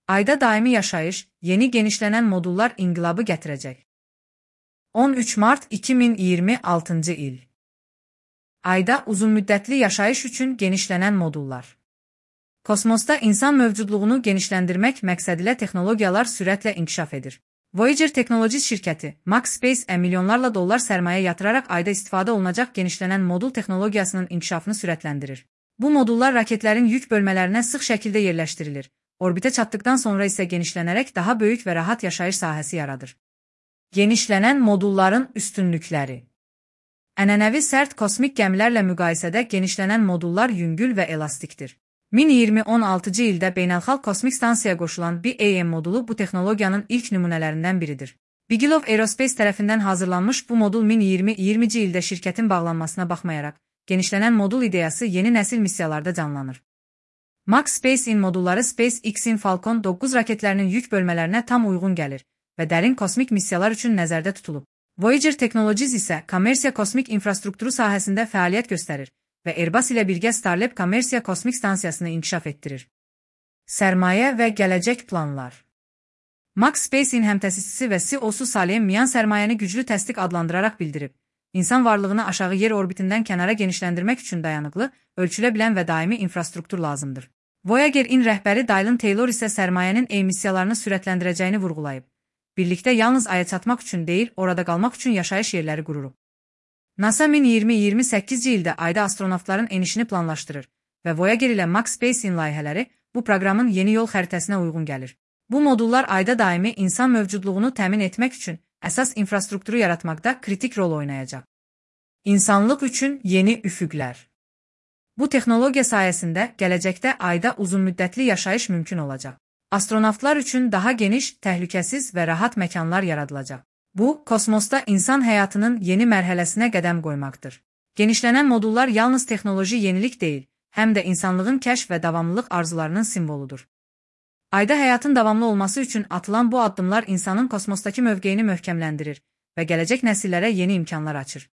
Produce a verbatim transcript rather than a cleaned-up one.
Ayda daimi yaşayış, yeni genişlenen modullar inqilabı gətirəcək. on üç mart iki min iyirmi altıncı il. Ayda uzunmüddətli yaşayış üçün genişlənən modullar. Kosmosda insan mövcudluğunu genişləndirmək məqsədilə texnologiyalar sürətlə inkişaf edir. Voyager Technologies şirkəti, Max Space-ə milyonlarla dollar sərmayə yatıraraq ayda istifadə olunacaq genişlənən modul texnologiyasının inkişafını sürətləndirir. Bu modullar raketlərin yük bölmələrinə sıx şəkildə yerləşdirilir. Orbitə çatdıqdan sonra isə genişlənərək daha böyük və rahat yaşayış sahəsi yaradır. Genişlənən modulların üstünlükləri. Ənənəvi sərt kosmik gəmilərlə müqayisədə genişlənən modullar yüngül və elastikdir. min iyirmi on altıncı ildə Beynəlxalq Kosmik Stansiyaya qoşulan B A M modulu bu texnologiyanın ilk nümunələrindən biridir. Bigelow Aerospace tərəfindən hazırlanmış bu modul min iyirmi iyirminci ildə şirkətin bağlanmasına baxmayaraq, genişlənən modul ideyası yeni nəsil missiyalarda canlanır. Max Space-in modulları SpaceX-in Falcon doqquz raketlərinin yük bölmələrinə tam uyğun gəlir və dərin kosmik missiyalar üçün nəzərdə tutulub. Voyager Technologies isə kommersiya kosmik infrastrukturu sahəsində fəaliyyət göstərir və Airbus ilə birgə Starlab kommersiya kosmik stansiyasını inkişaf etdirir. Sərmayə və gələcək planlar. Max Space-in həmtəsisçisi və C E O-su Salim Mian sərmayəni güclü təsdiq adlandıraraq bildirib. İnsan varlığını aşağı yer orbitindən kənara genişləndirmək üçün dayanıqlı, ölçülə bilən və daimi infrastruktur lazımdır. Voyager-in rəhbəri Dylan Taylor isə sərmayənin emissiyalarını sürətləndirəcəyini vurğulayıb. Birlikdə yalnız aya çatmaq üçün deyil, orada qalmaq üçün yaşayış yerləri qururuq. NASA min iyirmi iyirmi səkkizinci ildə ayda astronavtların enişini planlaşdırır və Voyager ilə Max Space-in layihələri bu proqramın yeni yol xəritəsinə uyğun gəlir. Bu modullar ayda daimi insan mövcudluğunu təmin etmək üçün əsas infrastrukturu yaratmaqda kritik rol oynayacaq. İnsanlıq üçün yeni üfüqlər. Bu texnologiya sayəsində gələcəkdə ayda uzunmüddətli yaşayış mümkün olacaq. Astronavtlar üçün daha geniş, təhlükəsiz və rahat məkanlar yaradılacaq. Bu, kosmosda insan həyatının yeni mərhələsinə qədəm qoymaqdır. Genişlənən modullar yalnız texnoloji yenilik deyil, həm də insanlığın kəşf və davamlılıq arzularının simvoludur. Ayda həyatın davamlı olması üçün atılan bu addımlar insanın kosmosdakı mövqeyini möhkəmləndirir və gələcək nəsillərə yeni imkanlar açır.